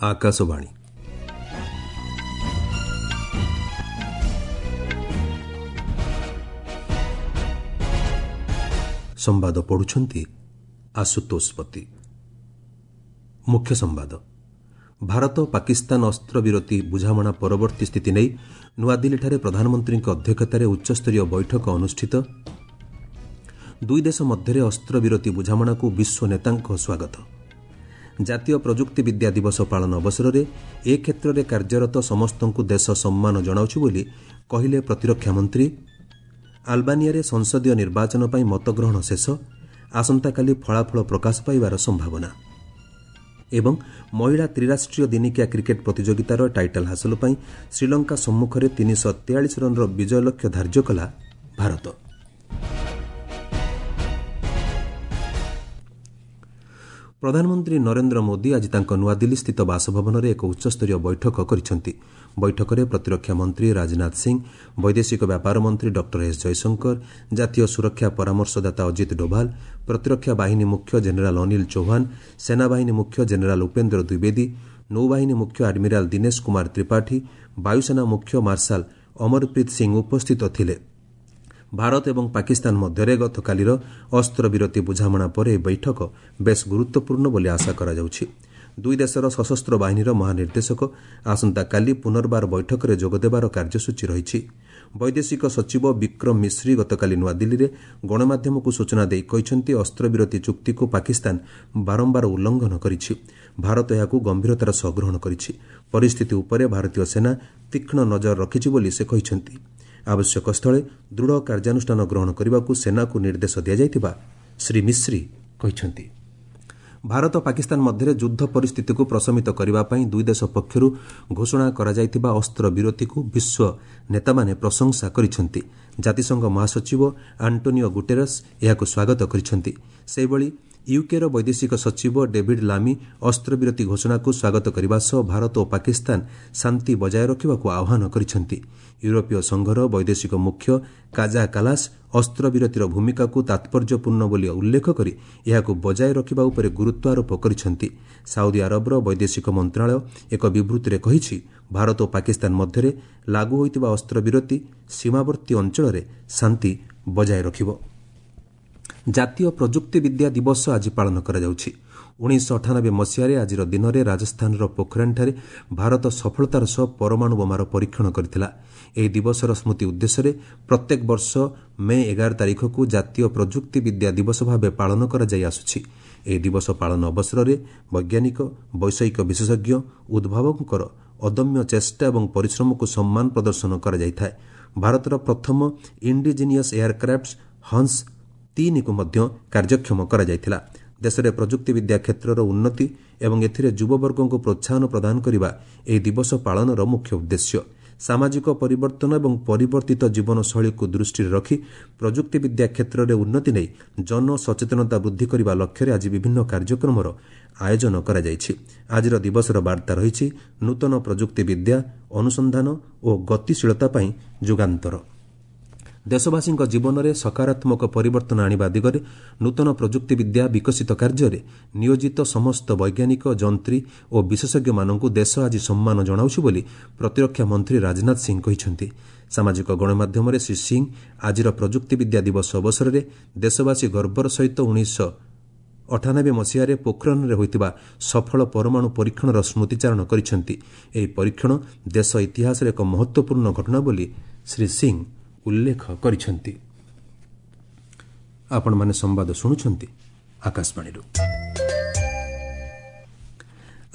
ଆକାଶବାଣୀ। ସମ୍ବାଦ ପଢ଼ୁଛନ୍ତି ଆଶୁତୋଷ ପତି। ମୁଖ୍ୟ ସମ୍ବାଦ। ଭାରତ ପାକିସ୍ତାନ ଅସ୍ତ୍ରବିରତି ବୁଝାମଣା ପରବର୍ତ୍ତୀ ସ୍ଥିତି ନେଇ ନୂଆଦିଲ୍ଲୀଠାରେ ପ୍ରଧାନମନ୍ତ୍ରୀଙ୍କ ଅଧ୍ୟକ୍ଷତାରେ ଉଚ୍ଚସ୍ତରୀୟ ବୈଠକ ଅନୁଷ୍ଠିତ। ଦୁଇ ଦେଶ ମଧ୍ୟରେ ଅସ୍ତ୍ରବିରତି ବୁଝାମଣାକୁ ବିଶ୍ୱ ନେତାଙ୍କ ସ୍ୱାଗତ। ଜାତୀୟ ପ୍ରଯୁକ୍ତିବିଦ୍ୟା ଦିବସ ପାଳନ ଅବସରରେ ଏ କ୍ଷେତ୍ରରେ କାର୍ଯ୍ୟରତ ସମସ୍ତଙ୍କୁ ଦେଶ ସମ୍ମାନ ଜଣାଉଛି ବୋଲି କହିଲେ ପ୍ରତିରକ୍ଷା ମନ୍ତ୍ରୀ। ଆଲବାନିଆରେ ସଂସଦୀୟ ନିର୍ବାଚନ ପାଇଁ ମତଗ୍ରହଣ ଶେଷ, ଆସନ୍ତାକାଲି ଫଳାଫଳ ପ୍ରକାଶ ପାଇବାର ସମ୍ଭାବନା। ଏବଂ ମହିଳା ତ୍ରିରାଷ୍ଟ୍ରୀୟ ଦିନିକିଆ କ୍ରିକେଟ୍ ପ୍ରତିଯୋଗିତାର ଟାଇଟଲ୍ ହାସଲ ପାଇଁ ଶ୍ରୀଲଙ୍କା ସମ୍ମୁଖରେ 343 ରନ୍ର ବିଜୟ ଲକ୍ଷ୍ୟ ଧାର୍ଯ୍ୟ କଲା ଭାରତ। ପ୍ରଧାନମନ୍ତ୍ରୀ ନରେନ୍ଦ୍ର ମୋଦି ଆଜି ତାଙ୍କ ନୂଆଦିଲ୍ଲୀସ୍ଥିତ ବାସଭବନରେ ଏକ ଉଚ୍ଚସ୍ତରୀୟ ବୈଠକ କରିଛନ୍ତି। ବୈଠକରେ ପ୍ରତିରକ୍ଷା ମନ୍ତ୍ରୀ ରାଜନାଥ ସିଂ, ବୈଦେଶିକ ବ୍ୟାପାର ମନ୍ତ୍ରୀ ଡକ୍ଟର ଏସ୍ ଜୟଶଙ୍କର, ଜାତୀୟ ସୁରକ୍ଷା ପରାମର୍ଶଦାତା ଅଜିତ ଡୋଭାଲ, ପ୍ରତିରକ୍ଷା ବାହିନୀ ମୁଖ୍ୟ ଜେନେରାଲ୍ ଅନିଲ ଚୌହାନ, ସେନାବାହିନୀ ମୁଖ୍ୟ ଜେନେରାଲ୍ ଉପେନ୍ଦ୍ର ଦ୍ୱିବେଦୀ, ନୌବାହିନୀ ମୁଖ୍ୟ ଆଡମିରାଲ୍ ଦିନେଶ କୁମାର ତ୍ରିପାଠୀ, ବାୟୁସେନା ମୁଖ୍ୟ ମାର୍ଶାଲ୍ ଅମରପ୍ରୀତ ସିଂ ଉପସ୍ଥିତ ଥିଲେ। ଭାରତ ଏବଂ ପାକିସ୍ତାନ ମଧ୍ୟରେ ଗତକାଲିର ଅସ୍ତ୍ରବିରତି ବୁଝାମଣା ପରେ ଏହି ବୈଠକ ବେଶ୍ ଗୁରୁତ୍ୱପୂର୍ଣ୍ଣ ବୋଲି ଆଶା କରାଯାଉଛି। ଦୁଇ ଦେଶର ସଶସ୍ତ୍ର ବାହିନୀର ମହାନିର୍ଦ୍ଦେଶକ ଆସନ୍ତାକାଲି ପୁନର୍ବାର ବୈଠକରେ ଯୋଗଦେବାର କାର୍ଯ୍ୟସୂଚୀ ରହିଛି। ବୈଦେଶିକ ସଚିବ ବିକ୍ରମ ମିଶ୍ରି ଗତକାଲି ନୂଆଦିଲ୍ଲୀରେ ଗଣମାଧ୍ୟମକୁ ସୂଚନା ଦେଇ କହିଛନ୍ତି, ଅସ୍ତ୍ରବିରତି ଚୁକ୍ତିକୁ ପାକିସ୍ତାନ ବାରମ୍ବାର ଉଲ୍ଲଂଘନ କରିଛି। ଭାରତ ଏହାକୁ ଗମ୍ଭୀରତାର ସହ ଗ୍ରହଣ କରିଛି। ପରିସ୍ଥିତି ଉପରେ ଭାରତୀୟ ସେନା ତୀକ୍ଷ୍ଣ ନଜର ରଖିଛି ବୋଲି ସେ କହିଛନ୍ତି। ଆବଶ୍ୟକ ସ୍ଥଳେ ଦୃଢ଼ କାର୍ଯ୍ୟାନୁଷ୍ଠାନ ଗ୍ରହଣ କରିବାକୁ ସେନାକୁ ନିର୍ଦ୍ଦେଶ ଦିଆଯାଇଥିବା ଶ୍ରୀ ମିଶ୍ରି କହିଛନ୍ତି। ଭାରତ ପାକିସ୍ତାନ ମଧ୍ୟରେ ଯୁଦ୍ଧ ପରିସ୍ଥିତିକୁ ପ୍ରଶମିତ କରିବା ପାଇଁ ଦୁଇ ଦେଶ ପକ୍ଷରୁ ଘୋଷଣା କରାଯାଇଥିବା ଅସ୍ତ୍ରବିରତିକୁ ବିଶ୍ୱ ନେତାମାନେ ପ୍ରଶଂସା କରିଛନ୍ତି। ଜାତିସଂଘ ମହାସଚିବ ଆଣ୍ଟୋନିଓ ଗୁଟେରସ୍ ଏହାକୁ ସ୍ୱାଗତ କରିଛନ୍ତି। ସେହିଭଳି ୟୁକେର ବୈଦେଶିକ ସଚିବ ଡେଭିଡ୍ ଲାମି ଅସ୍ତ୍ରବିରତି ଘୋଷଣାକୁ ସ୍ୱାଗତ କରିବା ସହ ଭାରତ ଓ ପାକିସ୍ତାନ ଶାନ୍ତି ବଜାୟ ରଖିବାକୁ ଆହ୍ୱାନ କରିଛନ୍ତି। ୟୁରୋପୀୟ ସଂଘର ବୈଦେଶିକ ମୁଖ୍ୟ କାଜା କାଲାସ୍ ଅସ୍ତ୍ରବିରତିର ଭୂମିକାକୁ ତାତ୍ପର୍ଯ୍ୟପୂର୍ଣ୍ଣ ବୋଲି ଉଲ୍ଲେଖ କରି ଏହାକୁ ବଜାୟ ରଖିବା ଉପରେ ଗୁରୁତ୍ୱ ଆରୋପ କରିଛନ୍ତି। ସାଉଦି ଆରବର ବୈଦେଶିକ ମନ୍ତ୍ରଣାଳୟ ଏକ ବିବୃତ୍ତିରେ କହିଛି, ଭାରତ ଓ ପାକିସ୍ତାନ ମଧ୍ୟରେ ଲାଗୁ ହୋଇଥିବା ଅସ୍ତ୍ରବିରତି ସୀମାବର୍ତ୍ତୀ ଅଞ୍ଚଳରେ ଶାନ୍ତି ବଜାୟ ରଖିବ। ଜାତୀୟ ପ୍ରଯୁକ୍ତିବିଦ୍ୟା ଦିବସ ଆଜି ପାଳନ କରାଯାଉଛି। 1998 ମସିହାରେ ଆଜିର ଦିନରେ ରାଜସ୍ଥାନର ପୋଖରାନଠାରେ ଭାରତ ସଫଳତାର ସହ ପରମାଣୁ ବୋମାର ପରୀକ୍ଷଣ କରିଥିଲା। ଏହି ଦିବସର ସ୍ମୃତି ଉଦ୍ଦେଶ୍ୟରେ ପ୍ରତ୍ୟେକ ବର୍ଷ ମେ 11 ତାରିଖକୁ ଜାତୀୟ ପ୍ରଯୁକ୍ତିବିଦ୍ୟା ଦିବସ ଭାବେ ପାଳନ କରାଯାଇ ଆସୁଛି। ଏହି ଦିବସ ପାଳନ ଅବସରରେ ବୈଜ୍ଞାନିକ, ବୈଷୟିକ ବିଶେଷଜ୍ଞ, ଉଦ୍ଭାବକଙ୍କର ଅଦମ୍ୟ ଚେଷ୍ଟା ଏବଂ ପରିଶ୍ରମକୁ ସମ୍ମାନ ପ୍ରଦର୍ଶନ କରାଯାଇଥାଏ। ଭାରତର ପ୍ରଥମ ଇଣ୍ଡିଜିନିୟସ୍ ଏୟାରକ୍ରାଫ୍ଟ ହଂସ 3କୁ ମଧ୍ୟ କାର୍ଯ୍ୟକ୍ଷମ କରାଯାଇଥିଲା। ଦେଶରେ ପ୍ରଯୁକ୍ତିବିଦ୍ୟା କ୍ଷେତ୍ରର ଉନ୍ନତି ଏବଂ ଏଥିରେ ଯୁବବର୍ଗଙ୍କୁ ପ୍ରୋତ୍ସାହନ ପ୍ରଦାନ କରିବା ଏହି ଦିବସ ପାଳନର ମୁଖ୍ୟ ଉଦ୍ଦେଶ୍ୟ। ସାମାଜିକ ପରିବର୍ତ୍ତନ ଏବଂ ପରିବର୍ତ୍ତିତ ଜୀବନଶୈଳୀକୁ ଦୃଷ୍ଟିରେ ରଖି ପ୍ରଯୁକ୍ତିବିଦ୍ୟା କ୍ଷେତ୍ରରେ ଉନ୍ନତି ନେଇ ଜନସଚେତନତା ବୃଦ୍ଧି କରିବା ଲକ୍ଷ୍ୟରେ ଆଜି ବିଭିନ୍ନ କାର୍ଯ୍ୟକ୍ରମର ଆୟୋଜନ କରାଯାଇଛି। ଆଜିର ଦିବସର ବାର୍ତ୍ତା ରହିଛି ନୂତନ ପ୍ରଯୁକ୍ତିବିଦ୍ୟା, ଅନୁସନ୍ଧାନ ଓ ଗତିଶୀଳତା ପାଇଁ ଯୁଗାନ୍ତର। ଦେଶବାସୀଙ୍କ ଜୀବନରେ ସକାରାତ୍ମକ ପରିବର୍ତ୍ତନ ଆଣିବା ଦିଗରେ ନୂତନ ପ୍ରଯୁକ୍ତିବିଦ୍ୟା ବିକଶିତ କାର୍ଯ୍ୟରେ ନିୟୋଜିତ ସମସ୍ତ ବୈଜ୍ଞାନିକ, ଯନ୍ତ୍ରୀ ଓ ବିଶେଷଜ୍ଞମାନଙ୍କୁ ଦେଶ ଆଜି ସମ୍ମାନ ଜଣାଉଛି ବୋଲି ପ୍ରତିରକ୍ଷା ମନ୍ତ୍ରୀ ରାଜନାଥ ସିଂ କହିଛନ୍ତି। ସାମାଜିକ ଗଣମାଧ୍ୟମରେ ଶ୍ରୀ ସିଂ ଆଜିର ପ୍ରଯୁକ୍ତିବିଦ୍ୟା ଦିବସ ଅବସରରେ ଦେଶବାସୀ ଗର୍ବର ସହିତ 1998 ମସିହାରେ ପୋଖରାନରେ ହୋଇଥିବା ସଫଳ ପରମାଣୁ ପରୀକ୍ଷଣର ସ୍ମୃତିଚାରଣ କରିଛନ୍ତି। ଏହି ପରୀକ୍ଷଣ ଦେଶ ଇତିହାସରେ ଏକ ମହତ୍ତ୍ୱପୂର୍ଣ୍ଣ ଘଟଣା ବୋଲି ଶ୍ରୀ ସିଂ ଉଲ୍ଲେଖ କରିଛନ୍ତି। ଆପଣମାନେ ସମ୍ବାଦ ଶୁଣୁଛନ୍ତି ଆକାଶବାଣୀରୁ।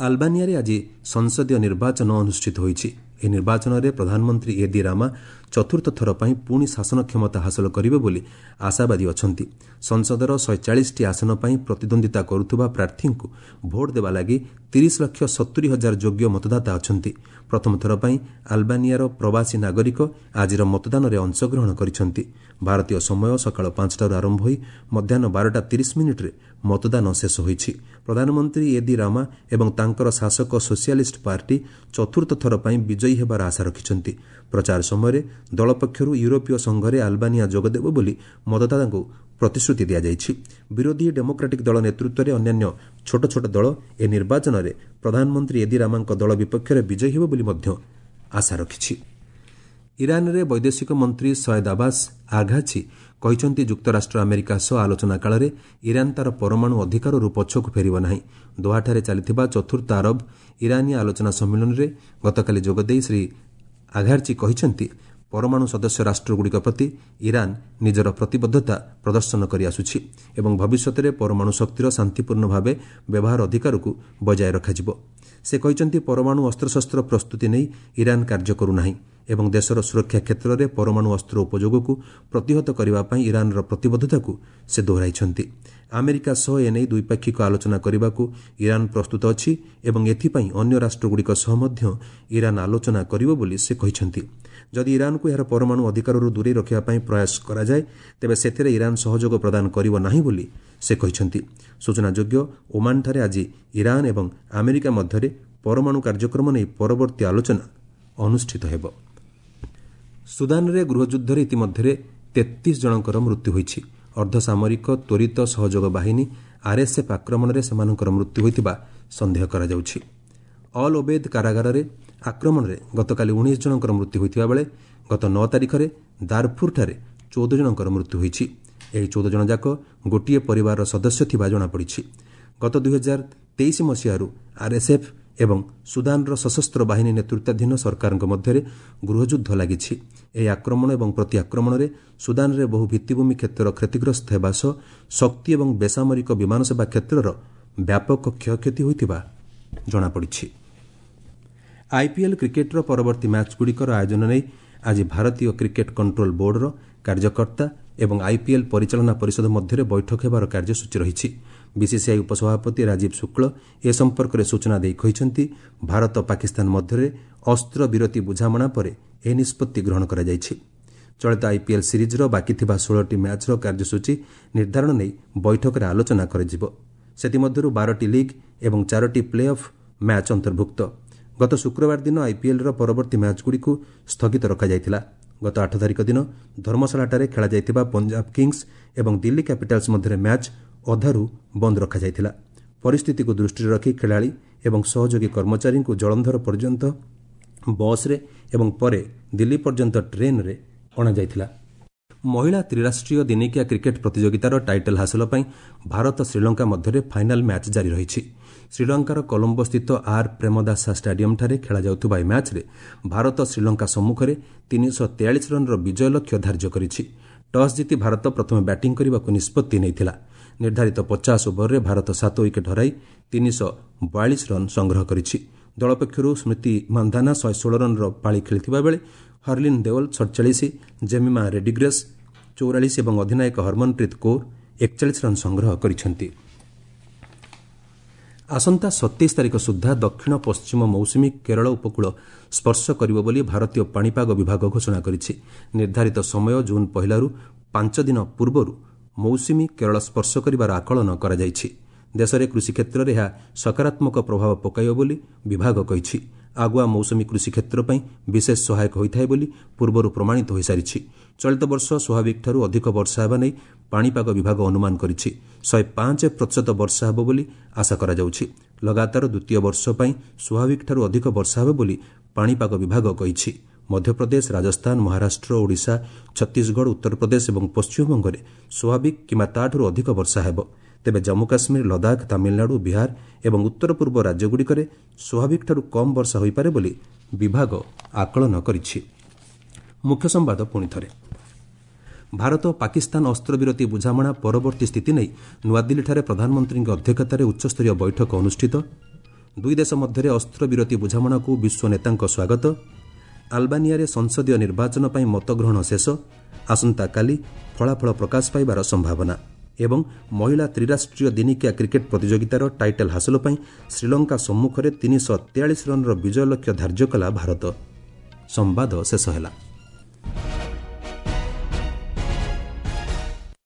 ଆଲବାନିଆରେ ଆଜି ସଂସଦୀୟ ନିର୍ବାଚନ ଅନୁଷ୍ଠିତ ହୋଇଛି। ଏହି ନିର୍ବାଚନରେ ପ୍ରଧାନମନ୍ତ୍ରୀ ଏଦି ରାମା ଚତୁର୍ଥ ଥର ପାଇଁ ପୁଣି ଶାସନ କ୍ଷମତା ହାସଲ କରିବେ ବୋଲି ଆଶାବାଦୀ ଅଛନ୍ତି। ସଂସଦର 140ଟି ଆସନ ପାଇଁ ପ୍ରତିଦ୍ୱନ୍ଦିତା କରୁଥିବା ପ୍ରାର୍ଥୀଙ୍କୁ ଭୋଟ୍ ଦେବା ଲାଗି 30,70,000 ଯୋଗ୍ୟ ମତଦାତା ଅଛନ୍ତି। ପ୍ରଥମ ଥର ପାଇଁ ଆଲବାନିଆର ପ୍ରବାସୀ ନାଗରିକ ଆଜିର ମତଦାନରେ ଅଂଶଗ୍ରହଣ କରିଛନ୍ତି। ଭାରତୀୟ ସମୟ ସକାଳ 5ଟାରୁ ଆରମ୍ଭ ହୋଇ ମଧ୍ୟାହ୍ନ 12ଟା 30 ମିନିଟ୍ରେ ମତଦାନ ଶେଷ ହୋଇଛି। ପ୍ରଧାନମନ୍ତ୍ରୀ ଏଦି ରାମା ଏବଂ ତାଙ୍କର ଶାସକ ସୋସିଆଲିଷ୍ଟ ପାର୍ଟି ଚତୁର୍ଥ ଥର ପାଇଁ ବିଜୟୀ ହେବାର ଆଶା ରଖିଛନ୍ତି। ପ୍ରଚାର ସମୟରେ ଦଳ ପକ୍ଷରୁ ୟୁରୋପୀୟ ସଂଘରେ ଆଲବାନିଆ ଯୋଗଦେବ ବୋଲି ମତଦାତାଙ୍କୁ ପ୍ରତିଶ୍ରୁତି ଦିଆଯାଇଛି। ବିରୋଧୀ ଡେମୋକ୍ରାଟିକ୍ ଦଳ ନେତୃତ୍ୱରେ ଅନ୍ୟାନ୍ୟ ଛୋଟ ଛୋଟ ଦଳ ଏ ନିର୍ବାଚନରେ ପ୍ରଧାନମନ୍ତ୍ରୀ ଏଦି ରାମାଙ୍କ ଦଳ ବିପକ୍ଷରେ ବିଜୟୀ ହେବ ବୋଲି ମଧ୍ୟ ଆଶା ରଖିଛି। ଇରାନରେ ବୈଦେଶିକ ମନ୍ତ୍ରୀ ସୟଦ ଆବାସ ଆଘାଚି କହିଛନ୍ତି, ଯୁକ୍ତରାଷ୍ଟ୍ର ଆମେରିକା ସହ ଆଲୋଚନା କାଳରେ ଇରାନ ତା'ର ପରମାଣୁ ଅଧିକାରରୁ ପଛକୁ ଫେରିବ ନାହିଁ। ଦୋହାଠାରେ ଚାଲିଥିବା ଚତୁର୍ଥ ଆରବ ଇରାନୀୟ ଆଲୋଚନା ସମ୍ମିଳନୀରେ ଗତକାଲି ଯୋଗଦେଇ ଶ୍ରୀ ଆଘାର୍ଚି କହିଛନ୍ତି, ପରମାଣୁ ସଦସ୍ୟ ରାଷ୍ଟ୍ରଗୁଡ଼ିକ ପ୍ରତି ଇରାନ ନିଜର ପ୍ରତିବଦ୍ଧତା ପ୍ରଦର୍ଶନ କରିଆସୁଛି ଏବଂ ଭବିଷ୍ୟତରେ ପରମାଣୁ ଶକ୍ତିର ଶାନ୍ତିପୂର୍ଣ୍ଣ ଭାବେ ବ୍ୟବହାର ଅଧିକାରକୁ ବଜାୟ ରଖାଯିବ। ସେ କହିଛନ୍ତି, ପରମାଣୁ ଅସ୍ତ୍ରଶସ୍ତ୍ର ପ୍ରସ୍ତୁତି ନେଇ ଇରାନ କାର୍ଯ୍ୟ କରୁନାହିଁ ଏବଂ ଦେଶର ସୁରକ୍ଷା କ୍ଷେତ୍ରରେ ପରମାଣୁ ଅସ୍ତ୍ର ଉପଯୋଗକୁ ପ୍ରତିହତ କରିବା ପାଇଁ ଇରାନର ପ୍ରତିବଦ୍ଧତାକୁ ସେ ଦୋହରାଇଛନ୍ତି। ଆମେରିକା ସହ ଏନେଇ ଦ୍ୱିପାକ୍ଷିକ ଆଲୋଚନା କରିବାକୁ ଇରାନ ପ୍ରସ୍ତୁତ ଅଛି ଏବଂ ଏଥିପାଇଁ ଅନ୍ୟ ରାଷ୍ଟ୍ରଗୁଡ଼ିକ ସହ ମଧ୍ୟ ଇରାନ ଆଲୋଚନା କରିବ ବୋଲି ସେ କହିଛନ୍ତି। ଯଦି ଇରାନକୁ ଏହାର ପରମାଣୁ ଅଧିକାରରୁ ଦୂରେଇ ରଖିବା ପାଇଁ ପ୍ରୟାସ କରାଯାଏ, ତେବେ ସେଥିରେ ଇରାନ ସହଯୋଗ ପ୍ରଦାନ କରିବ ନାହିଁ ବୋଲି ସେ କହିଛନ୍ତି। ସୂଚନାଯୋଗ୍ୟ, ଓମାନଠାରେ ଆଜି ଇରାନ ଏବଂ ଆମେରିକା ମଧ୍ୟରେ ପରମାଣୁ କାର୍ଯ୍ୟକ୍ରମ ନେଇ ପରବର୍ତ୍ତୀ ଆଲୋଚନା ଅନୁଷ୍ଠିତ ହେବ। ସୁଦାନରେ ଗୃହଯୁଦ୍ଧରେ ଇତିମଧ୍ୟରେ 33 ଜଣଙ୍କର ମୃତ୍ୟୁ ହୋଇଛି। ଅର୍ଦ୍ଧସାମରିକ ତ୍ୱରିତ ସହଯୋଗ ବାହିନୀ ଆର୍ଏସ୍ଏଫ୍ ଆକ୍ରମଣରେ ସେମାନଙ୍କର ମୃତ୍ୟୁ ହୋଇଥିବା ସନ୍ଦେହ କରାଯାଉଛି। ଅଲ୍ ଓବେଦ୍ କାରାଗାରରେ ଆକ୍ରମଣରେ ଗତକାଲି 19 ଜଣଙ୍କର ମୃତ୍ୟୁ ହୋଇଥିବା ବେଳେ ଗତ 9 ତାରିଖରେ ଦାରଫୁରଠାରେ 14 ଜଣଙ୍କର ମୃତ୍ୟୁ ହୋଇଛି। ଏହି 14 ଜଣ ଯାକ ଗୋଟିଏ ପରିବାରର ସଦସ୍ୟ ଥିବା ଜଣାପଡ଼ିଛି। ଗତ 2023 ମସିହାରୁ ଆର୍ଏସ୍ଏଫ୍ ଏବଂ ସୁଦାନର ସଶସ୍ତ୍ର ବାହିନୀ ନେତୃତ୍ୱାଧୀନ ସରକାରଙ୍କ ମଧ୍ୟରେ ଗୃହଯୁଦ୍ଧ ଲାଗିଛି। ଏହି ଆକ୍ରମଣ ଏବଂ ପ୍ରତିଆକ୍ରମଣରେ ସୁଦାନରେ ବହୁ ଭିତ୍ତିଭୂମି କ୍ଷେତ୍ର କ୍ଷତିଗ୍ରସ୍ତ ହେବା ସହ ଶକ୍ତି ଏବଂ ବେସାମରିକ ବିମାନ ସେବା କ୍ଷେତ୍ରର ବ୍ୟାପକ କ୍ଷୟକ୍ଷତି ହୋଇଥିବା ଜଣାପଡ଼ିଛି। ଆଇପିଏଲ୍ କ୍ରିକେଟ୍ର ପରବର୍ତ୍ତୀ ମ୍ୟାଚ୍ଗୁଡ଼ିକର ଆୟୋଜନ ନେଇ ଆଜି ଭାରତୀୟ କ୍ରିକେଟ୍ କଣ୍ଟ୍ରୋଲ ବୋର୍ଡର କାର୍ଯ୍ୟକର୍ତ୍ତା ଏବଂ ଆଇପିଏଲ୍ ପରିଚାଳନା ପରିଷଦ ମଧ୍ୟରେ ବୈଠକ ହେବାର କାର୍ଯ୍ୟସୂଚୀ ରହିଛି। ବିସିସିଆଇ ଉପସଭାପତି ରାଜୀବ ଶୁକ୍ଳ ଏ ସମ୍ପର୍କରେ ସୂଚନା ଦେଇ କହିଛନ୍ତି, ଭାରତ ପାକିସ୍ତାନ ମଧ୍ୟରେ ଅସ୍ତ୍ରବିରତି ବୁଝାମଣା ପରେ ଏହି ନିଷ୍ପତ୍ତି ଗ୍ରହଣ କରାଯାଇଛି। ଚଳିତ ଆଇପିଏଲ୍ ସିରିଜ୍ର ବାକି ଥିବା 16ଟି ମ୍ୟାଚ୍ର କାର୍ଯ୍ୟସୂଚୀ ନିର୍ଦ୍ଧାରଣ ନେଇ ବୈଠକରେ ଆଲୋଚନା କରାଯିବ। ସେଥିମଧ୍ୟରୁ 12ଟି ଲିଗ୍ ଏବଂ 4ଟି ପ୍ଲେ ଅଫ୍ ମ୍ୟାଚ୍ ଅନ୍ତର୍ଭୁକ୍ତ। ଗତ ଶୁକ୍ରବାର ଦିନ ଆଇପିଏଲ୍ର ପରବର୍ତ୍ତୀ ମ୍ୟାଚ୍ଗୁଡ଼ିକୁ ସ୍ଥଗିତ ରଖାଯାଇଥିଲା। ଗତ 8 ତାରିଖ ଦିନ ଧର୍ମଶାଳାଠାରେ ଖେଳାଯାଇଥିବା ପଞ୍ଜାବ କିଙ୍ଗସ୍ ଏବଂ ଦିଲ୍ଲୀ କ୍ୟାପିଟାଲ୍ସ ମଧ୍ୟରେ ମ୍ୟାଚ୍ ଅଧାରୁ ବନ୍ଦ ରଖାଯାଇଥିଲା। ପରିସ୍ଥିତିକୁ ଦୃଷ୍ଟିରେ ରଖି ଖେଳାଳି ଏବଂ ସହଯୋଗୀ କର୍ମଚାରୀଙ୍କୁ ଜଳନ୍ଧର ପର୍ଯ୍ୟନ୍ତ ବସ୍ରେ ଏବଂ ପରେ ଦିଲ୍ଲୀ ପର୍ଯ୍ୟନ୍ତ ଟ୍ରେନ୍ରେ ଅଣାଯାଇଥିଲା। ମହିଳା ତ୍ରିରାଷ୍ଟ୍ରୀୟ ଦିନିକିଆ କ୍ରିକେଟ୍ ପ୍ରତିଯୋଗିତାର ଟାଇଟଲ୍ ହାସଲ ପାଇଁ ଭାରତ ଶ୍ରୀଲଙ୍କା ମଧ୍ୟରେ ଫାଇନାଲ୍ ମ୍ୟାଚ୍ ଜାରି ରହିଛି। ଶ୍ରୀଲଙ୍କାର କଲମ୍ବୋସ୍ଥିତ ଆର୍ ପ୍ରେମଦାସା ଷ୍ଟାଡିୟମ୍ଠାରେ ଖେଳାଯାଉଥିବା ଏହି ମ୍ୟାଚ୍ରେ ଭାରତ ଶ୍ରୀଲଙ୍କା ସମ୍ମୁଖରେ 343 ରନ୍ର ବିଜୟ ଲକ୍ଷ୍ୟ ଧାର୍ଯ୍ୟ କରିଛି। ଟସ୍ ଜିତି ଭାରତ ପ୍ରଥମେ ବ୍ୟାଟିଂ କରିବାକୁ ନିଷ୍ପତ୍ତି ନେଇଥିଲା। ନିର୍ଦ୍ଧାରିତ 50 ଓଭରରେ ଭାରତ 7 ୱିକେଟ୍ ହରାଇ 342 ରନ୍ ସଂଗ୍ରହ କରିଛି। ଦଳ ପକ୍ଷରୁ ସ୍ମୃତି ମାନ୍ଧାନା 116 ରନ୍ର ପାଳି ଖେଳିଥିବା ବେଳେ ହର୍ଲିନ୍ ଦେଓଲ 47, ଜେମିମା ରେଡିଗ୍ରେସ୍ 44 ଏବଂ ଅଧିନାୟକ ହରମନପ୍ରୀତ କୌର 41 ରନ୍ ସଂଗ୍ରହ କରିଛନ୍ତି। ଆସନ୍ତା 27 ତାରିଖ ସୁଦ୍ଧା ଦକ୍ଷିଣ ପଶ୍ଚିମ ମୌସୁମୀ କେରଳ ଉପକୂଳ ସ୍ପର୍ଶ କରିବ ବୋଲି ଭାରତୀୟ ପାଣିପାଗ ବିଭାଗ ଘୋଷଣା କରିଛି। ନିର୍ଦ୍ଧାରିତ ସମୟ ଜୁନ୍ 1ରୁ 5 ଦିନ ପୂର୍ବରୁ ମୌସୁମୀ କେରଳ ସ୍ପର୍ଶ କରିବାର ଆକଳନ କରାଯାଇଛି। ଦେଶରେ କୃଷି କ୍ଷେତ୍ରରେ ଏହା ସକାରାତ୍ମକ ପ୍ରଭାବ ପକାଇବ ବୋଲି ବିଭାଗ କହିଛି। ଆଗୁଆ ମୌସୁମୀ କୃଷି କ୍ଷେତ୍ର ପାଇଁ ବିଶେଷ ସହାୟକ ହୋଇଥାଏ ବୋଲି ପୂର୍ବରୁ ପ୍ରମାଣିତ ହୋଇସାରିଛି। ଚଳିତ ବର୍ଷ ସ୍ୱାଭାବିକଠାରୁ ଅଧିକ ବର୍ଷା ହେବା ନେଇ ପାଣିପାଗ ବିଭାଗ ଅନୁମାନ କରିଛି। 105% ବର୍ଷା ହେବ ବୋଲି ଆଶା କରାଯାଉଛି। ଲଗାତାର ଦ୍ୱିତୀୟ ବର୍ଷ ପାଇଁ ସ୍ୱାଭାବିକଠାରୁ ଅଧିକ ବର୍ଷା ହେବ ବୋଲି ପାଣିପାଗ ବିଭାଗ କହିଛି। ମଧ୍ୟପ୍ରଦେଶ, ରାଜସ୍ଥାନ, ମହାରାଷ୍ଟ୍ର, ଓଡ଼ିଶା, ଛତିଶଗଡ଼, ଉତ୍ତରପ୍ରଦେଶ ଏବଂ ପଶ୍ଚିମବଙ୍ଗରେ ସ୍ୱାଭାବିକ କିମ୍ବା ତା'ଠାରୁ ଅଧିକ ବର୍ଷା ହେବ। ତେବେ ଜମ୍ମୁ କାଶ୍ମୀର, ଲଦାଖ, ତାମିଲନାଡୁ, ବିହାର ଏବଂ ଉତ୍ତର ପୂର୍ବ ରାଜ୍ୟଗୁଡ଼ିକରେ ସ୍ୱାଭାବିକଠାରୁ କମ୍ ବର୍ଷା ହୋଇପାରେ ବୋଲି ବିଭାଗ ଆକଳନ କରିଛି। ମୁଖ୍ୟ ସମ୍ବାଦ ପୁଣି ଥରେ। ଭାରତ ପାକିସ୍ତାନ ଅସ୍ତ୍ରବିରତି ବୁଝାମଣା ପରବର୍ତ୍ତୀ ସ୍ଥିତି ନେଇ ନୂଆଦିଲ୍ଲୀଠାରେ ପ୍ରଧାନମନ୍ତ୍ରୀଙ୍କ ଅଧ୍ୟକ୍ଷତାରେ ଉଚ୍ଚସ୍ତରୀୟ ବୈଠକ ଅନୁଷ୍ଠିତ। ଦୁଇ ଦେଶ ମଧ୍ୟରେ ଅସ୍ତ୍ରବିରତି ବୁଝାମଣାକୁ ବିଶ୍ୱ ନେତାଙ୍କ ସ୍ୱାଗତ। ଆଲବାନିଆରେ ସଂସଦୀୟ ନିର୍ବାଚନ ପାଇଁ ମତଗ୍ରହଣ ଶେଷ, ଆସନ୍ତାକାଲି ଫଳାଫଳ ପ୍ରକାଶ ପାଇବାର ସମ୍ଭାବନା। ଏବଂ ମହିଳା ତ୍ରିରାଷ୍ଟ୍ରୀୟ ଦିନିକିଆ କ୍ରିକେଟ୍ ପ୍ରତିଯୋଗିତାର ଟାଇଟଲ୍ ହାସଲ ପାଇଁ ଶ୍ରୀଲଙ୍କା ସମ୍ମୁଖରେ 343 ରନ୍ର ବିଜୟ ଲକ୍ଷ୍ୟ ଧାର୍ଯ୍ୟ କଲା ଭାରତ। ସମ୍ବାଦ ଶେଷ ହେଲା।